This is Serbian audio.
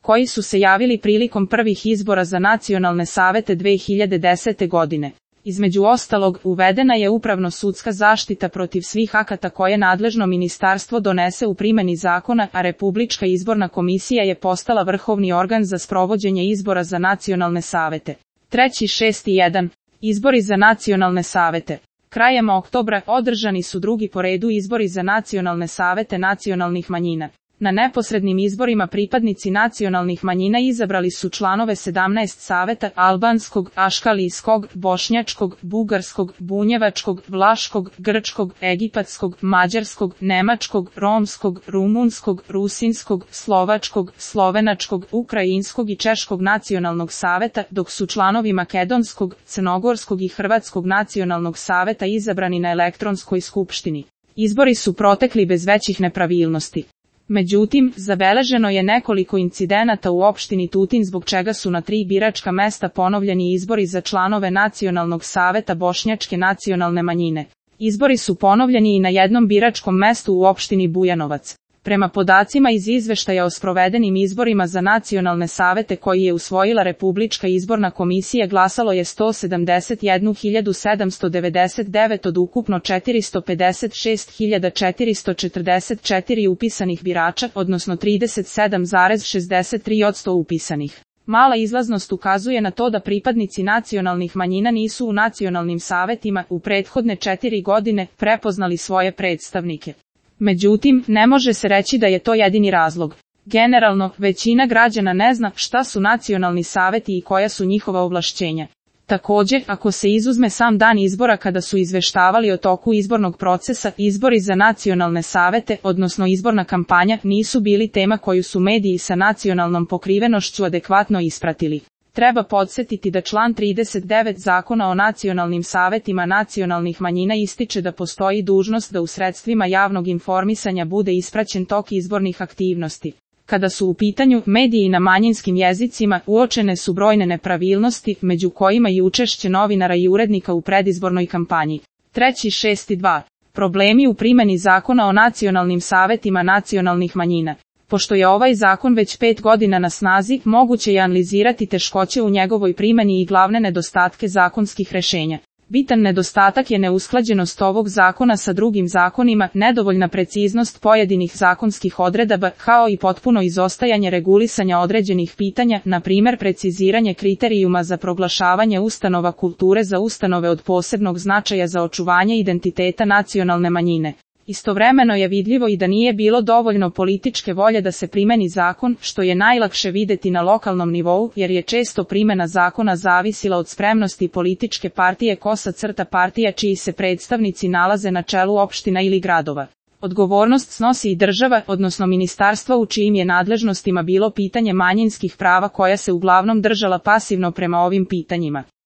koji su se javili prilikom prvih izbora za nacionalne savete 2010. godine. Između ostalog, uvedena je upravno-sudska zaštita protiv svih akata koje nadležno ministarstvo donese u primjeni zakona, a Republička izborna komisija je postala vrhovni organ za sprovođenje izbora za nacionalne savete. 3.6.1. Izbori za nacionalne savete. Krajem oktobra održani su drugi po redu izbori za nacionalne savete nacionalnih manjina. Na neposrednim izborima pripadnici nacionalnih manjina izabrali su članove 17 saveta albanskog, aškalijskog, bošnjačkog, bugarskog, bunjevačkog, vlaškog, grčkog, egipatskog, mađarskog, nemačkog, romskog, rumunskog, rusinskog, slovačkog, slovenačkog, ukrajinskog i češkog nacionalnog saveta, dok su članovi makedonskog, crnogorskog i hrvatskog nacionalnog saveta izabrani na elektronskoj skupštini. Izbori su protekli bez većih nepravilnosti. Međutim, zabeleženo je nekoliko incidenata u opštini Tutin zbog čega su na 3 biračka mesta ponovljeni izbori za članove Nacionalnog saveta bošnjačke nacionalne manjine. Izbori su ponovljeni i na jednom biračkom mestu u opštini Bujanovac. Prema podacima iz izveštaja o sprovedenim izborima za nacionalne savete koji je usvojila Republička izborna komisija glasalo je 171.799 od ukupno 456.444 upisanih birača, odnosno 37,63% upisanih. Mala izlaznost ukazuje na to da pripadnici nacionalnih manjina nisu u nacionalnim savetima u prethodne 4 godine prepoznali svoje predstavnike. Međutim, ne može se reći da je to jedini razlog. Generalno, većina građana ne zna šta su nacionalni saveti i koja su njihova ovlašćenja. Također, ako se izuzme sam dan izbora kada su izveštavali o toku izbornog procesa, izbori za nacionalne savete, odnosno izborna kampanja, nisu bili tema koju su mediji sa nacionalnom pokrivenošću adekvatno ispratili. Treba podsjetiti da član 39 Zakona o nacionalnim savetima nacionalnih manjina ističe da postoji dužnost da u sredstvima javnog informisanja bude ispraćen tok izbornih aktivnosti. Kada su u pitanju mediji na manjinskim jezicima, uočene su brojne nepravilnosti, među kojima i učešće novinara i urednika u predizbornoj kampanji. 3.6.2. Problemi u primjeni Zakona o nacionalnim savetima nacionalnih manjina. Pošto je ovaj zakon već 5 godina na snazi, moguće je analizirati teškoće u njegovoj primjeni i glavne nedostatke zakonskih rješenja. Bitan nedostatak je neusklađenost ovog zakona sa drugim zakonima, nedovoljna preciznost pojedinih zakonskih odredaba, kao i potpuno izostajanje regulisanja određenih pitanja, na primjer preciziranje kriterijuma za proglašavanje ustanova kulture za ustanove od posebnog značaja za očuvanje identiteta nacionalne manjine. Istovremeno je vidljivo i da nije bilo dovoljno političke volje da se primjeni zakon, što je najlakše vidjeti na lokalnom nivou, jer je često primjena zakona zavisila od spremnosti političke partije partija čiji se predstavnici nalaze na čelu opština ili gradova. Odgovornost snosi i država, odnosno ministarstva u čijim je nadležnostima bilo pitanje manjinskih prava koja se uglavnom držala pasivno prema ovim pitanjima.